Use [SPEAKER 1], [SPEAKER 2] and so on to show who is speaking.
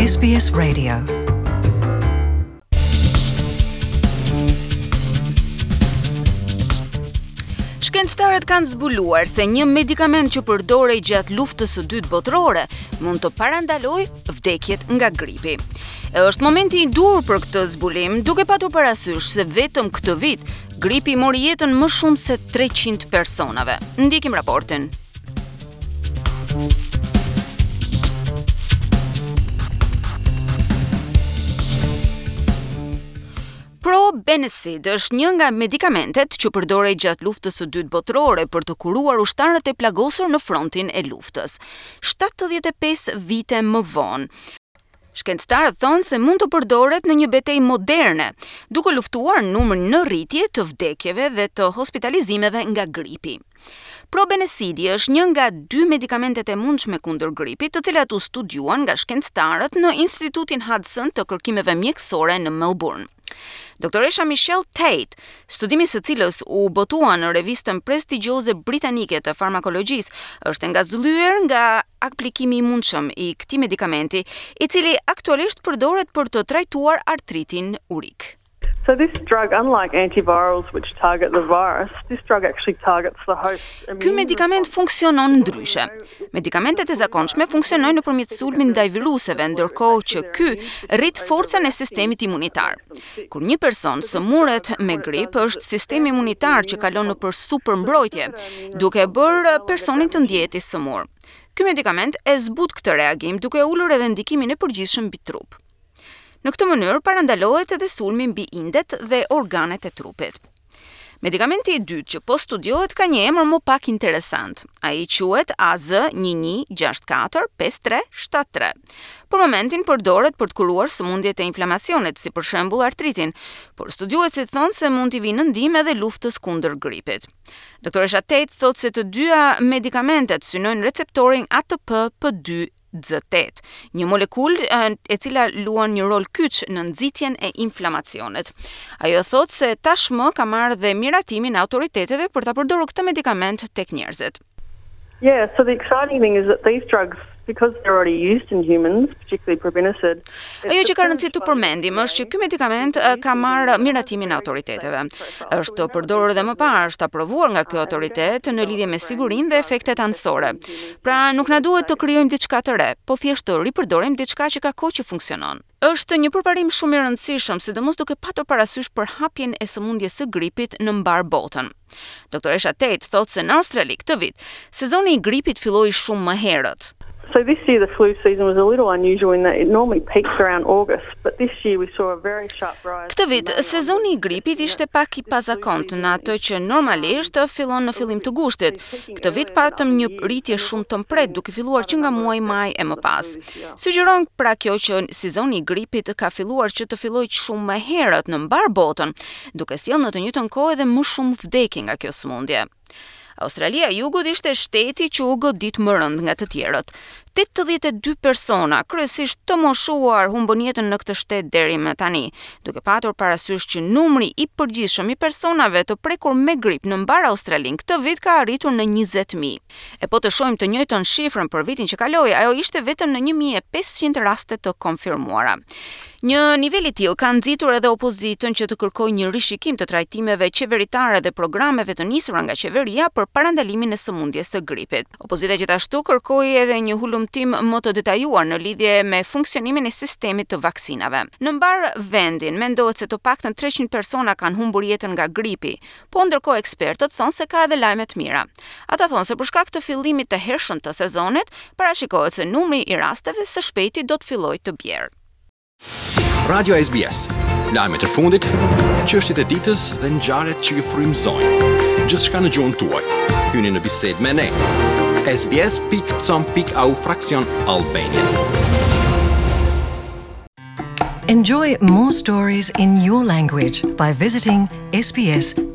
[SPEAKER 1] SBS Radio. Shkencëtarët kanë zbuluar se një medikament që përdorej gjatë luftës së dytë botërore mund të parandalojë vdekjet nga gripi. E është momenti i duhur për këtë zbulim, duke patur parasysh se vetëm këtë vit gripi mori jetën më shumë se 300 personave. Ndjekim raportin. Probenecid është një nga medikamentet që përdorej gjatë luftës së dytë botërore për të kuruar ushtarët e plagosur në frontin e luftës. 75 vite më vonë, Shkencëtarët thonë se mund të përdoret në një betejë moderne, duke luftuar numrin në rritje të vdekjeve dhe të hospitalizimeve nga gripi. Probenecidi është një nga dy medikamentet e mundshme kundër gripit, të cilat u studiuan nga shkencëtarët në Institutin Hudson të Kërkimeve Mjekësore në Melbourne. Doktoresha Michelle Tate, studimi i së cilës u botua në revistën prestigjioze britanike të farmakologjisë, është e ngazëllyer nga aplikimi i mundshëm i këtij medikamenti, i cili aktualisht përdoret për të trajtuar artritin urik.
[SPEAKER 2] So this drug, unlike antivirals which target the virus, this drug actually targets the host
[SPEAKER 1] immune Ky medikament funksionon ndryshe. Medikamentet e zakonshme funksionojnë nëpërmjet sulmit ndaj viruseve, ndërkohë që ky rrit forcën e sistemit imunitar. Kur një person sëmuret me grip, është sistemi imunitar që kalon nëpër supermbrojtje, duke e bërë personin të ndjehet i sëmurë. Ky medikament e zbut këtë reagim, duke ulur edhe ndikimin e përgjithshëm mbi trup. Në këtë mënyrë parandalohet edhe sulmi mbi indet dhe organet e trupit. Medikamenti i dytë që po studiohet ka një emër më pak interesant. Ai quhet AZ 11645373. Për momentin përdoret për të kuruar sëmundjet e inflamacionit, si për shembull artritin, por studiuesit thonë se mund t'i vijë në ndihmë edhe luftës kundër gripit. Doktoresha Tate thotë se të dyja medikamentet synojnë receptorin ATP P2 C8, një molekulë e cila luan një rol kyç në nxitjen e inflamacionit. Ajo thotë se tashmë ka marrë dhe miratimin e autoriteteve për ta përdorur këtë medikament tek
[SPEAKER 2] njerëzit. Yeah, so the exciting thing is that these drugs because they're already used in humans, particularly
[SPEAKER 1] probenecid. Ajo që ka rëndësi të përmendim është që ky medikament ka marrë miratimin e autoriteteve. Është përdorur edhe më parë, është aprovuar nga ky autoritet në lidhje me sigurinë dhe efektet anësore. Pra, nuk na duhet të krijojmë diçka të re, po thjesht të ripërdorim diçka që ka kohë që funksionon. Është një përparim shumë i rëndësishëm, sidomos duke patur parasysh përhapjen e sëmundjes së gripit në mbarë botën. Doktoresha Tate thotë se në Australi këtë vit, sezoni i gripit filloi shumë më
[SPEAKER 2] herët. So this year the flu season was a little unusual in that it normally peaks around August, but this year we saw a very sharp
[SPEAKER 1] rise. Këtë vit, sezoni i gripit ishte pak i pazakontë në atë që normalisht fillon në fillim të gushtit. Këtë vit patëm një rritje shumë të mprehtë, duke filluar që nga muaji maj e më pas. Sugjeron pra kjo që sezoni i gripit ka filluar që të fillojë shumë më herët në mbarë botën, duke sjellë në të njëjtën kohë edhe më shumë vdekje nga kjo sëmundje. Australia e Jugut ishte shteti që u godit më rëndë nga të tjerët. 82 persona, kryesisht të moshuar, humbën jetën në këtë shtet deri më tani, duke patur parasysh që numri i përgjithshëm i personave të prekur me grip në mbarë Australinë këtë vit ka arritur në 20.000. E po të shohim të njëjtën shifrën për vitin që kaloi, ajo ishte vetëm në 1500 raste të konfirmuara. Një nivel i tillë ka nxitur edhe opozitën që të kërkojë një rishikim të trajtimeve qeveritare dhe programeve të nisura nga qeveria për parandalimin e sëmundjes së gripit. Opozita gjithashtu kërkoi edhe një hulumtim më të detajuar në lidhje me funksionimin e sistemit të vaksinave. Në mbarë vendin mendohet se të paktën 300 persona kanë humbur jetën nga gripi, Po ndërkohë ekspertët thonë se ka edhe lajme të mira. Ata thonë se për shkak të fillimit të hershëm të sezonit, parashikohet se numri i rasteve së shpejti do të fillojë të
[SPEAKER 3] bjerë. Radio SBS. Lajmet e fundit, çështjet e ditës dhe ngjarjet që ju frymëzojnë. Gjithçka në gjuhën tuaj. Hyni në bisedë me ne. sbs.com.au fraksion Albanian.
[SPEAKER 1] Enjoy more stories in your language by visiting sbs.com.au.